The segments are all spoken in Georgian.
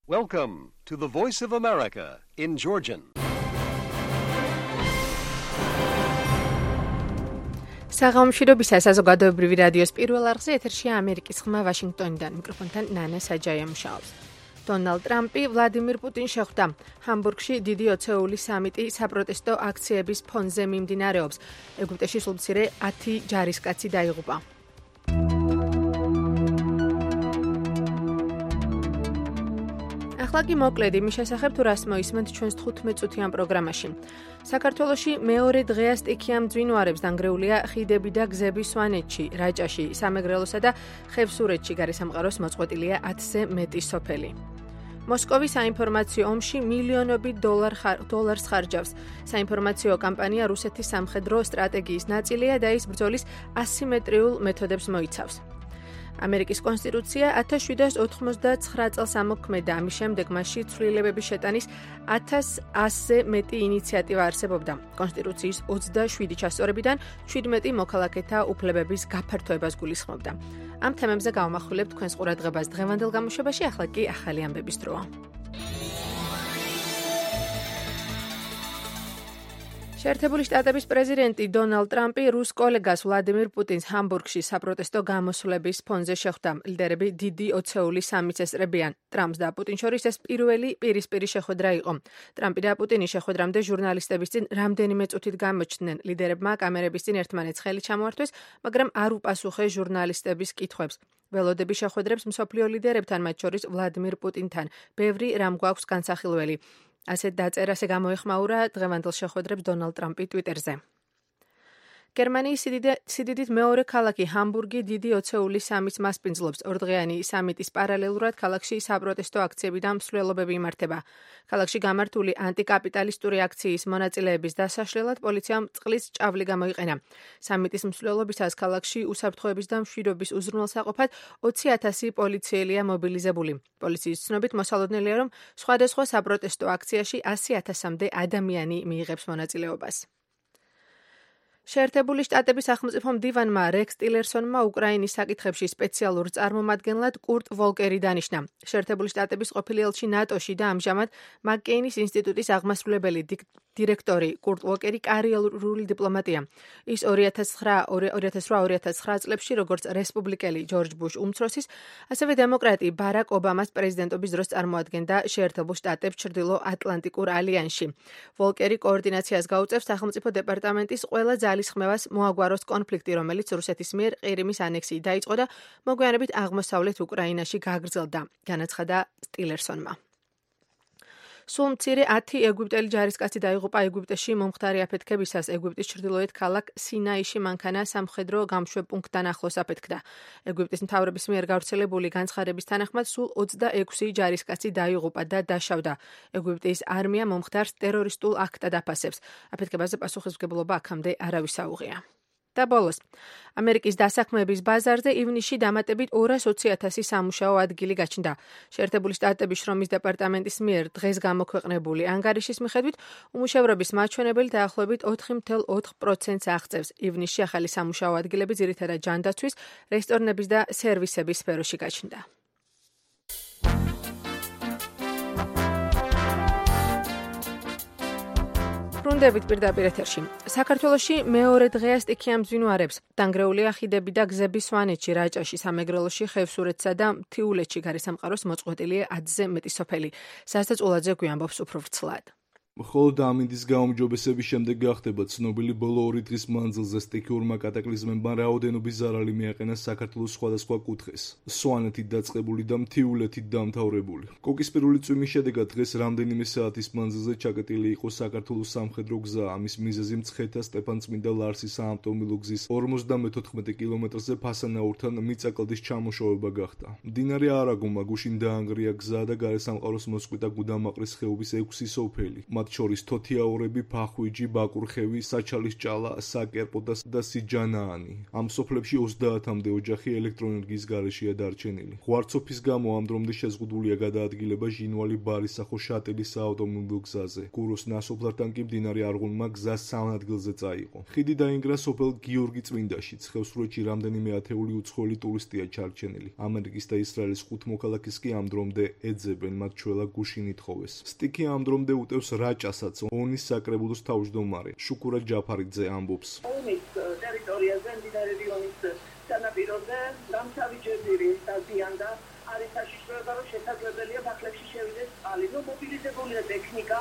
Welcome to the Voice of America in Georgian. საღამომშვიდობისა საზოგადოებრივი რადიოს პირველ არხზე ეთერშია ამერიკის ხმა ვაშინგტონიდან. მიკროფონთან ნანა საჯაია მუშაობს. დონალდ ტრამპი ვლადიმირ პუტინს შეხვდა. ჰამბურგში დიდი ოცეული სამიტი საპროტესტო აქციების ფონზე მიმდინარეობს. ეგვიპტეში სულ მცირე 10 ჯარისკაცი დაიღუპა. ახლა კი მოკლედ იმის შესახებ თუ რას მოისმენთ ჩვენს 15-წუთიან პროგრამაში. საქართველოში მეორე დღეა სტიქია მძვინვარებს დანგრეულია ხიდები და გზები სვანეთში, რაჭაში, სამეგრელოსა და ხევსურეთში გარესამყაროს მოწყვეტილია 10-ზე მეტი სოფელი. მოსკოვის საინფორმაციო ომში მილიონობით დოლარს ხარჯავს. საინფორმაციო კამპანია რუსეთის სამხედრო სტრატეგიის ნაწილია და ის ბრძოლის ასიმეტრიულ მეთოდებს მოიცავს. ამერიკის კონსტიტუცია 1789 წელს ამოქმედა, ამის შემდეგ მასში ცვლილებების შეტანის 1100-ზე მეტი ინიციატივა არსებობდა. კონსტიტუციის 27 ჩასწორებიდან 17 მოქალაქეთა უფლებების გაფართოებას გულისხმობდა. ამ თემებზე გავამახვილებთ თქვენს ყურადღებას დღევანდელ გამოშვებაში, ახლა კი ახალი ამბების დროა. შეერთებული შტატების პრეზიდენტი დონალდ ტრამპი რუს კოლეგას ვლადიმირ პუტინს ჰამბურგში საპროტესტო გამოსვლების ფონზე შეხვდა. ლიდერები დიდი ოცეული სამიტს ესწრებიან. ტრამპს და პუტინს შორის ეს პირველი პირისპირი შეხვედრა იყო. ტრამპი და პუტინი შეხვედრამდე ჟურნალისტების წინ რამდენიმე წუთით გამოჩნდნენ. ლიდერებმა კამერების წინ ერთმანეთს ხელი ჩამოართვეს, მაგრამ არ უპასუხეს ჟურნალისტების კითხვებს. ველოდები შეხვედრებს მსოფლიო ლიდერებთან, მათ შორის ვლადიმირ პუტინთან. ბევრი რამ გვაქვს განსახილველი. ასეთ დაწერას გამოეხმაურა დღევანდელ შეხვედრებს დონალდ ტრამპი ტვიტერზე. გერმანიის სიდიდით მეორე ქალაქი ჰამბურგი დიდი ოცეული სამიტს მასპინძლობს. ორდღიანი სამიტის პარალელურად ქალაქში საპროტესტო აქციები და მსვლელობები იმართება. ქალაქში გამართული ანტიკაპიტალისტური აქციის მონაწილეების დასაშლელად პოლიციამ წყლის ჭავლი გამოიყენა. სამიტის მსვლელობისას ქალაქში უსაფრთხოების და მშვიდობის უზრუნველსაყოფად 20,000 პოლიციელია მობილიზებული. პოლიციის ცნობით მოსალოდნელია, რომ სხვადასხვა საპროტესტო აქციაში 100,000-მდე ადამიანი მიიღებს მონაწილეობას. შეერთებული შტატების სახელმწიფო მდივანმა რექს ტილერსონმა უკრაინის საკითხებში სპეციალურ წარმომადგენლად კურტ ვოლკერი დანიშნა. შეერთებული შტატების ყოფილი ელჩი ნატოში და ამჟამად მაკკეინის ინსტიტუტის აღმასრულებელი დირექტორი კურტ ვოლკერი კარიერული დიპლომატია. ის 2008-2009 წლებში როგორც რესპუბლიკელი ჯორჯ ბუშ უმცროსის, ასევე დემოკრატი ბარაკ ობამას პრეზიდენტობის დროს წარმოადგენდა შეერთებულ შტატებს ჩრდილო ატლანტიკურ ალიანსში. ვოლკერი კოორდინაციას გაუწევს სახელმწიფო დეპარტამენტის ყველა ძალისხმევას მოაგვაროს კონფლიქტი, რომელიც რუსეთის მიერ ყირიმის ანექსიით დაიწყო და მოგვიანებით აღმოსავლეთ უკრაინაში გაგრძელდა, განაცხადა ტილერსონმა. სულ მცირე 10 ეგვიპტელი ჯარისკაცი დაიღუპა ეგვიპტეში მომხდარი აფეთქებისას. ეგვიპტის ჩრდილოეთ ქალაქ სინაიში მანქანა სამხედრო გამშვებ პუნქტთან ახლოს აფეთქდა. ეგვიპტის მთავრობის მიერ გავრცელებული განცხადების თანახმად სულ 26 ჯარისკაცი დაიღუპა და დაშავდა. ეგვიპტის არმია მომხდარს ტერორისტულ აქტად აფასებს. აფეთქებაზე პასუხისმგებლობა აქამდე არავის აუღია. და ბოლოს, ამერიკის დასაქმების ბაზარზე ივნისში დამატებით 220,000 სამუშაო ადგილი გაჩნდა. შეერთებული შტატების შრომის დეპარტამენტის მიერ დღეს გამოქვეყნებული ანგარიშის მიხედვით, უმუშევრობის მაჩვენებელი დაახლოებით 4,4%-ს აღწევს. ივნისში ახალი სამუშაო ადგილები ძირითადად ჯანდაცვის, რესტორნების და სერვისების სფეროში გაჩნდა. ბრუნდებით პირდაპირ ეთერში. საქართველოში მეორე დღეა სტიქია მძვინვარებს. დანგრეულია ხიდები და გზები სვანეთში, რაჭაში, სამეგრელოში, ხევსურეთსა და მთიულეთში გარესამყაროს მოწყვეტილია 10-ზე მეტი სოფელი. სასწაულაძე გვიამბობს უფრო ვრცლად. მხოლოდ ამინდის გაუმჯობესების შემდეგ გახდება ცნობილი ბოლო 2 დღის მანძილზე სტიქიურმა კატაკლიზმებმა რაოდენობის ზარალი მიაყენა საქართველოს სხვადასხვა კუთხეს. სვანეთით დაწყებული და მთიულეთით დამთავრებული. კოკისპირული წვიმის შედეგად დღეს რამდენიმე საათის მანძილზე ჩაკეტილი იყო საქართველოს სამხედრო გზა. ამის მიზეზი მცხეთა სტეფანწმინდა ლარსის საავტომობილო გზის 54 კილომეტრზე ფასანაურთან მიწაკლდის ჩამოშოვება გახდა. მდინარე არაგომა გუშინ დაანგრია გზა და გარესამყაროს მოსკვიტა გუდამაყრის ხეობის 6 სოფელი. მათ შორის თოთიაურები, ფახვიჯი, ბაკურხევი, საჩალის ჭალა, საკერპო და სიჯანაანი. ამ სოფლებში 30-მდე ოჯახი ელექტროენერგიის გარეშეა დარჩენილი. ღვარცოფის გამო ამ დრომდე შეზღუდულია გადაადგილება ჟინვალი ბარისახო შატილის საავტომობილო გზაზე. გუროს ნასოფლართან კი მდინარე არღუნმა გზა 3 ადგილზე წაიღო. ხიდი დაინგრა სოფელ გიორგი წმინდაშიც. ხევსურეთში რამდენიმე ათეული უცხოელი ტურისტია ჩარჩენილი. ამერიკის და ისრაელის 5 მოქალაქეს კი ამ დრომდე ეძებენ, მათ ჩვეულა გუშინ ითხოვეს. სტიკი ამ დრომდე უტევს რაჭასაც. ონის საკრებულოს თავმჯდომარე შუკურა ჯაფარიძე ამბობს. ომის ტერიტორიაზე მდინარე რიონის სანაპიროზე დამთავრებული სტადიონდა არის საშიშროება, რომ შესაძლებელია ბახლებში შევიდეს წყალი. მობილიზებულია ტექნიკა,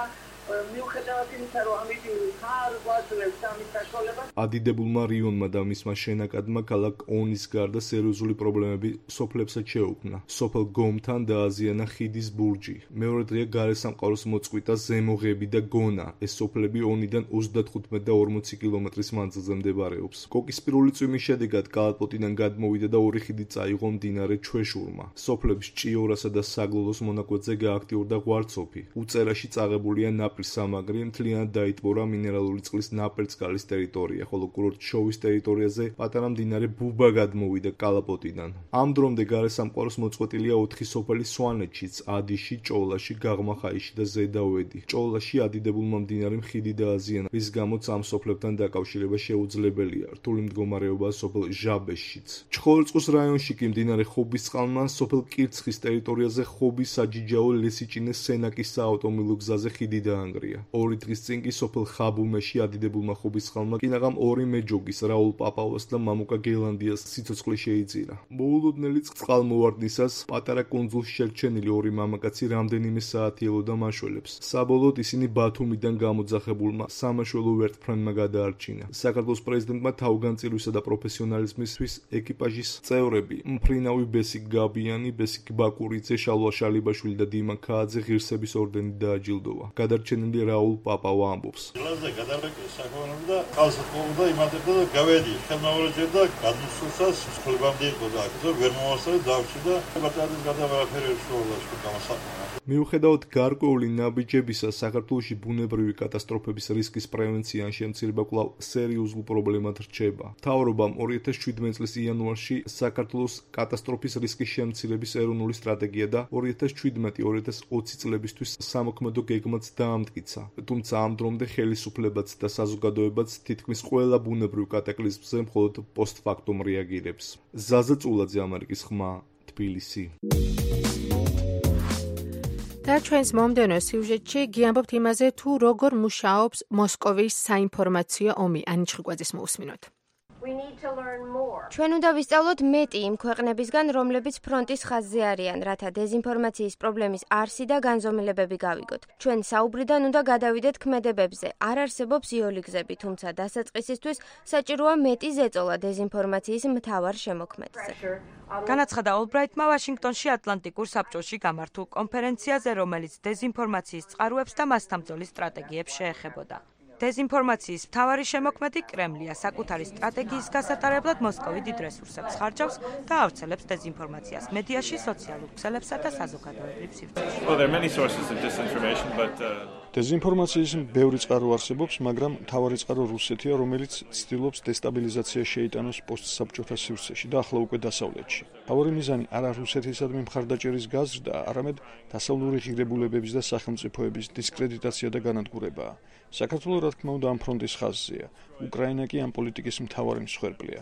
მიუხედავად იმისა, რომ ამიტომ არ გვაძლევს ამის საშუალებას. ადიდებულმა რიონმა და მისმა შენაკადმა ქალაქ ონის გარდა სერიოზული პრობლემები სოფლებსაც შეუქმნა. სოფელ გომთან დააზიანა ხიდის ბურჯი. მეორე დღეა გარესამყაროს მოწყვიტა ზემოღები და გონა. ეს სოფლები ონიდან 35 და 40 კილომეტრის მანძილზე მდებარეობს. კოკისპირული წვიმის შედეგად კალაპოტიდან გადმოვიდა და ორი ხიდი წაიღო მდინარე ჩვეშურმა. სოფლებს ჭიორასა და საგლოლოს მონაკვეთზე გააქტიურდა ღვარცოფი. უწერაში წაღებულია სამაგრი მთლიანად დაიტბორა მინერალური წყლის ნაპერწკალის ტერიტორია, ხოლო კურორტ შოვის ტერიტორიაზე პატარა მდინარე ბუბა გადმოვიდა კალაპოტიდან. ამ დრომდე გარესამყაროს მოწყვეტილია 4 სოფელი სვანეთშიც, ადიში, ჭოლაში, გაღმახაიში და ზედავედი. ჭოლაში ადიდებულმა მდინარემ ხიდი დააზიანა, რის გამოც ამ სოფლებთან დაკავშირება შეუძლებელია. რთული მდგომარეობაა სოფელ ჟაბეშიც. ჩხოროწყუს რაიონში კი მდინარე ხობისწყალმა სოფელ კირცხის ტერიტორიაზე ხობის საჯიჯაო ლესიჭინეს სენაკის საავტომობილო გზაზე ხიდი დაანგრია. 2 დღის წინ კი სოფელ ხაბუმეში ადიდებულმა ხობისწყალმა კინაღამ 2 მეჯოგის რაულ პაპავას და მამუკა გელანდიას სიცოცხლე შეიძინა. მოულოდნელი წყალმოვარდნისას პატარა კუნძულში შერჩენილი 2 მამაკაცი რამდენიმე საათი ელოდა მაშველებს. საბოლოოდ ისინი ბათუმიდან გამოძახებულმა სამაშველო ვერტმფრენმა გადაარჩინა. საქართველოს პრეზიდენტმა თავგანწირვისა და პროფესიონალიზმისთვის ეკიპაჟის წევრები მფრინავი ბესიკ გაბიანი, ბესიკ ბაკურიძე, შალვა შალიბაშვილი და დიმა ქააძე ღირსების ორდენით დააჯილდოვა. გადარჩენილი რაულ პაპავა ამბობს. გლაზე გადარეკეს საქონელი და ყალსაყოვდა და იმატებდა და გავედი. ხელმაურეჯერდა გადმოსულსაც სკოლებამდე იყო და აქედან ვერ მომასწრე დავში და ბატონის გადავარაფერი შუალაში გამოსაყენა. მიუხედავად გარკვეული ნაბიჯებისა, საქართველოში ბუნებრივი კატასტროფების რისკის პრევენცია ან შემცირება კვლავ სერიოზულ პრობლემად რჩება. მთავრობამ 2017 წლის იანვარში საქართველოს კატასტროფის რისკის შემცირების ეროვნული სტრატეგია და 2017-2020 წლებისთვის სამოქმედო გეგმაც დაამტკიცა. თუმცა ამ დრომდე ხელისუფლებაც და საზოგადოებაც თითქმის ყველა ბუნებრივ კატაკლიზმზე მხოლოდ პოსტფაქტუმ რეაგირებს. ზაზა წულაძე, ამერიკის ხმა, თბილისი. და ჩვენს მომდევნო სიუჟეტში გიამბობთ იმაზე, თუ როგორ მუშაობს მოსკოვის საინფორმაციო ომი. ანი ჩხიკვაძის მოусმინოთ. ჩვენ უნდა ვისწავლოთ მეტი იმ ქვეყნებისგან, რომლებიც ფრონტის ხაზზე არიან, რათა დეზინფორმაციის პრობლემის არსი და განზომილებები გავიგოთ. ჩვენ საუბრიდან უნდა გადავიდეთ ქმედებებზე. არ არსებობს იოლი გზები, თუმცა დასაწყისისთვის საჭიროა მეტი ზეწოლა დეზინფორმაციის მთავარ შემოქმედზე. განაცხადა ოლბრაიტმა ვაშინგტონში ატლანტიკურ საბჭოში გამართულ კონფერენციაზე, რომელიც დეზინფორმაციის წყაროებს და მასთან ბრძოლის სტრატეგიებს შეეხებოდა. დეზინფორმაციის მთავარი შემოქმედი კრემლია საკუთარი სტრატეგიის გასატარებლად მოსკოვი დიდ რესურსებს ხარჯავს და ავრცელებს დეზინფორმაციას მედიაში, სოციალურ ქსელებსა და საზოგადოებრივ სივრცეში. დეზინფორმაციის ბევრი წყარო არსებობს, მაგრამ მთავარი წყარო რუსეთია, რომელიც ცდილობს დესტაბილიზაციაში შეიტანოს პოსტსაბჭოთა სივრცეში და ახლა უკვე დასავლეთში. მთავარი მიზანი არა რუსეთისადმი მხარდაჭერის გაზრდა, არამედ დასავლური ღირებულებების და სახელმწიფოების დისკრედიტაცია და განადგურებაა. საქართველოს რა თქმა უნდა ამ ფრონტის ხაზზეა. უკრაინა კი ამ პოლიტიკის მთავარი მსხვერპლია.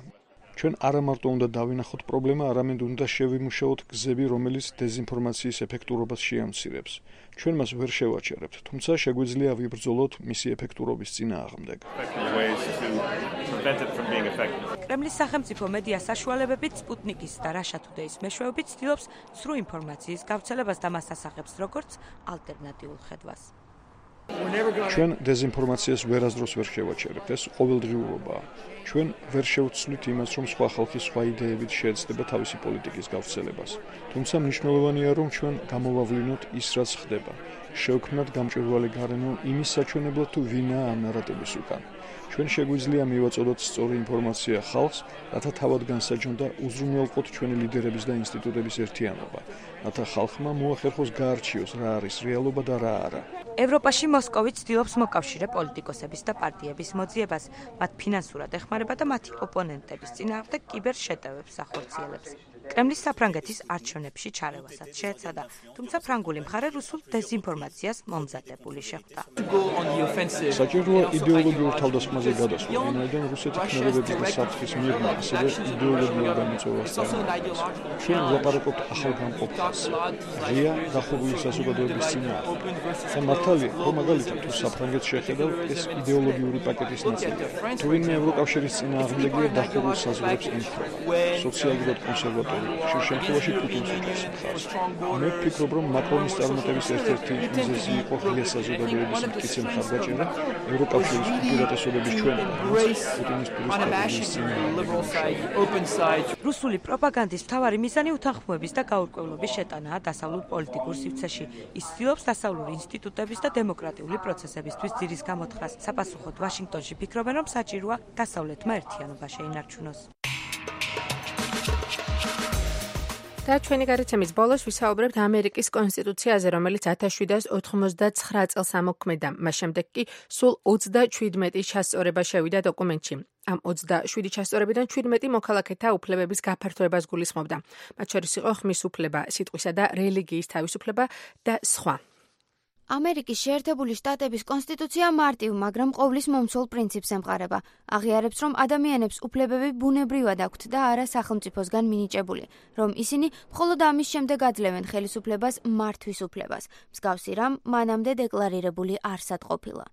ჩვენ არა მარტო უნდა დავინახოთ პრობლემა, არამედ უნდა შევიმუშაოთ გზები, რომელიც დეზინფორმაციის ეფექტურობას შეამცირებს. ჩვენ მას ვერ შევაჩერებთ, თუმცა შეგვიძლია ვიბრძოლოთ მისი ეფექტურობის წინააღმდეგ. კრემლის სახელმწიფო მედია საშუალებებით სპუტნიკის და Russia Today-ის მეშვეობით ცდილობს სრულ ინფორმაციის გავრცელებას და მას ასახებს როგორც ალტერნატიულ ხედვას. ჩვენ დეზინფორმაციას ვერასდროს ვერ შევაჩერებთ, ეს ყოველდღიურობაა. ჩვენ ვერ შევცვლით იმას, რომ სხვა ხალხი სხვა იდეებით შეეცდება თავისი პოლიტიკის გავრცელებას. თუმცა მნიშვნელოვანია, რომ ჩვენ გამოვავლინოთ ის, რაც ხდება. შევქმნათ გამჭვირვალე გარემო იმის საჩვენებლად, თუ ვინაა ამ ნარატივის უკან. ჩვენ შეგვიძლია მივაწოდოთ სწორი ინფორმაცია ხალხს, რათა თავად განსაჯონ და უზრუნველყოთ ჩვენი ლიდერების და ინსტიტუტების ერთიანობა, რათა ხალხმა მოახერხოს გაარჩიოს, რა არის რეალობა და რა არა. ევროპაში მოსკოვის მოსკოვი ცდილობს მოკავშირე პოლიტიკოსების და პარტიების მოძიებას, მათ ფინანსურად ეხმარება და მათი ოპონენტების წინააღმდეგ კიბერშეტევებს ახორციელებს. კრემლის საფრანგეთის არჩევნებში ჩარევასაც შეეცადა, თუმცა ფრანგული მხარე რუსულ დეზინფორმაციას მომზადებული შეხვდა. საჭიროა იდეოლოგიურ თავდასხმაზე გადასვლა, ვინაიდან რუსეთი ქმედებების და საფრთხის მიღმა ასევე იდეოლოგიურ გამოწვევას წარმოადგენს. ჩვენ ვლაპარაკობთ ახალგამყოფ ხალხს, ღია დახურული საზოგადოების წინააღმდეგ. და მართალია, რომ მაგალითად თუ საფრანგეთს შეხედავ, ეს იდეოლოგიური პაკეტის ნაწილია. თუ ვინმე ევროკავშირის წინააღმდეგია დახურულ საზღვრებს ემხრობა, სოციალურად კონსერვატორი ხშირ შემთხვევაში პუტინს უჭერს მხარს. მე ვფიქრობ, რომ მაკრონის წარმატების ერთ-ერთი მიზეზი იყო ღია საზოგადოების მტკიცე მხარდაჭერა ევროკავშირის უპირატესობების ჩვენება, პუტინის პირისპირ. რუსული პროპაგანდის მთავარი მიზანი უთანხმოების და გაურკვევლობის შეტანაა დასავლურ პოლიტიკურ სივრცეში. ის ცდილობს დასავლური ინსტიტუტების და დემოკრატიული პროცესებისთვის ძირის გამოთხრას. საპასუხოდ ვაშინგტონში ფიქრობენ, რომ საჭიროა დასავლეთმა ერთიანობა შეინარჩუნოს. და ჩვენი გარიცემის ბოლოს ვისაუბრებთ ამერიკის კონსტიტუციაზე, რომელიც 1789 წელს ამოქმედა. მას შემდეგ კი სულ 37 ჩასწორება შევიდა დოკუმენტში. ამ 27 ჩასწორებიდან 17 მოქალაქეთა უფლებების გაფართოებას გულისხმობდა. მათ შორის იყო ხმის უფლება, სიტყვისა და რელიგიის თავისუფლება და სხვა. ამერიკის შეერთებული შტატების კონსტიტუცია მარტივ, მაგრამ ყოვლის მომცველ პრინციპს ემყარება. აღიარებს, რომ ადამიანებს უფლებები ბუნებრივად აქვთ და არა სახელმწიფოსგან მინიჭებული, რომ ისინი მხოლოდ ამის შემდეგ აძლევენ ხელისუფლებას მართვის უფლებას. მსგავსი რამ მანამდე დეკლარირებული არსად ყოფილა.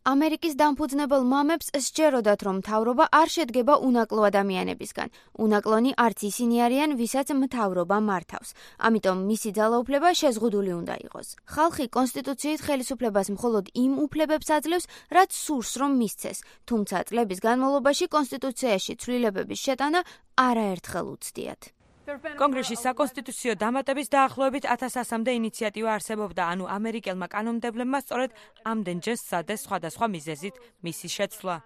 ამერიკის დამფუძნებელ მამებს სჯეროდათ, რომ მთავრობა არ შედგება უნაკლო ადამიანებისგან. უნაკლონი არც ისინი არიან, ვისაც მთავრობა მართავს. ამიტომ მისი ძალაუფლება შეზღუდული უნდა იყოს. ხალხი კონსტიტუციით ხელისუფლებას მხოლოდ იმ უფლებებს აძლევს, რაც სურს რომ მისცეს, თუმცა წლების განმავლობაში კონსტიტუციაში ცვლილებების შეტანა არაერთხელ უცდიათ. კონგრესში საკონსტიტუციო დამატების დაახლოებით 1100-მდე ინიციატივა არსებობდა, ანუ ამერიკელმა კანონმდებლებმა სწორედ ამდენჯერ სცადეს სხვადასხვა მიზეზით მისი შეცვლა.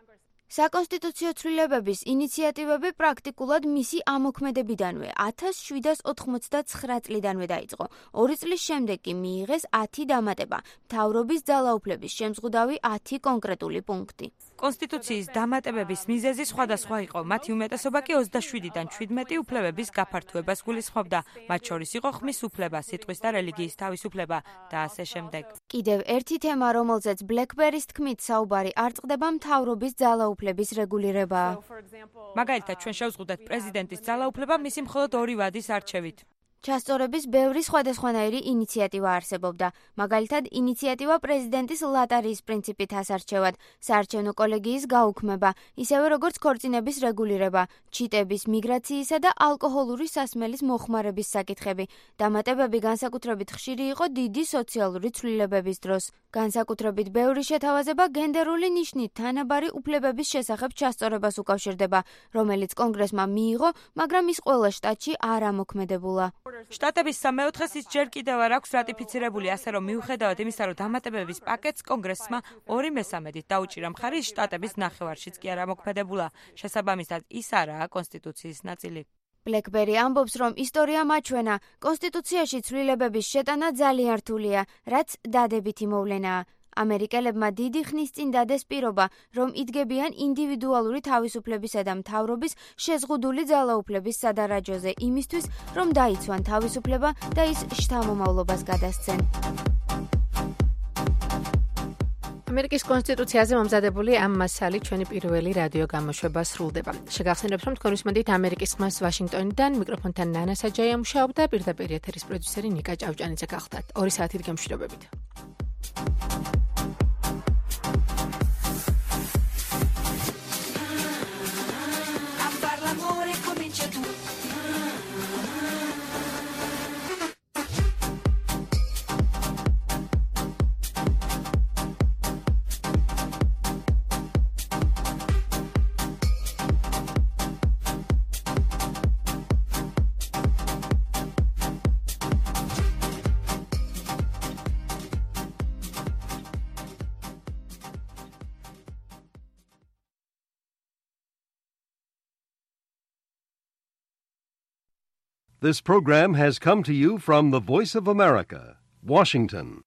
საკონსტიტუციო ცვლილებების ინიციატივები პრაქტიკულად მისი ამოქმედებიდანვე 1789 წლიდანვე დაიწყო. 2 წლის შემდეგ კი მიიღეს 10 დამატება, მთავრობის ძალაუფლების შემზღუდავი 10 კონკრეტული პუნქტი. კონსტიტუციის დამატებების მიზეზი სხვადასხვა იყო. მათი უმეტესობა კი 27-დან 17 უფლებების გაფართოებას გულისხმობდა. მათ შორის იყო ხმის უფლება, სიტყვის და რელიგიის თავისუფლება და ასე შემდეგ. კიდევ ერთი თემა, რომელზეც ბლეკბერის თქმით საუბარი არ წყდება, მთავრობის ძალაუფლების რეგულირებაა. მაგალითად, ჩვენ შევზღუდეთ პრეზიდენტის ძალაუფლება მისი მხოლოდ 2 ვადის არჩევით. ჩასწორების ბევრი სხვადასხვანაირი ინიციატივა არსებობდა. მაგალითად, ინიციატივა პრეზიდენტის ლატარიის პრინციპით ასარჩევად, საარჩევნო კოლეგიის გაუქმება, ისევე როგორც ქორწინების რეგულირება, ჩიტების, მიგრაციისა და ალკოჰოლური სასმელის მოხმარების საკითხები. დამატებები განსაკუთრებით ხშირი იყო დიდი სოციალური ცვლილებების დროს. განსაკუთრებით ბევრი შეთავაზება გენდერული ნიშნით თანაბარი უფლებების შესახებ ჩასწორებას უკავშირდება, რომელიც კონგრესმა მიიღო, მაგრამ ის ყველა შტატში არ ამოქმედებულა. შტატების 3/4-ს ის ჯერ კიდევ არ აქვს რატიფიცირებული, ასე რომ მიუხედავად იმისა, რომ დამატებების პაკეტს კონგრესმა 2/3 დაუჭირა მხარი, შტატების ნახევარშიც კი არ ამოქმედებულა. შესაბამისად, ის არაა კონსტიტუციის ნაწილი. ბლეკბერი ამბობს, რომ ისტორია მაჩვენა, კონსტიტუციაში ცვლილებების შეტანა ძალიან რთულია, რაც დადებითი მოვლენაა. ამერიკელებმა დიდი ხნის წინ დადეს პირობა, რომ იდგებიან ინდივიდუალური თავისუფლებისა და მთავრობის შეზღუდული ძალაუფლების სადარაჯოზე იმისთვის, რომ დაიცვან თავისუფლება და ის შთამომავლობას გადასცენ. ამერიკის კონსტიტუციაზე მომზადებული ამ მასალით ჩვენი პირველი რადიო გამოშვება სრულდება. შეგახსენებთ, რომ თქვენ უსმენთ ამერიკის ხმას ვაშინგტონიდან, მიკროფონთან ნანა საჯაია მუშაობდა, პირდაპირ ეთერის პროდიუსერი ნიკა ჭავჭანიძე გახლდათ. 2 საათით გემშვიდობებით. This program has come to you from the Voice of America, Washington.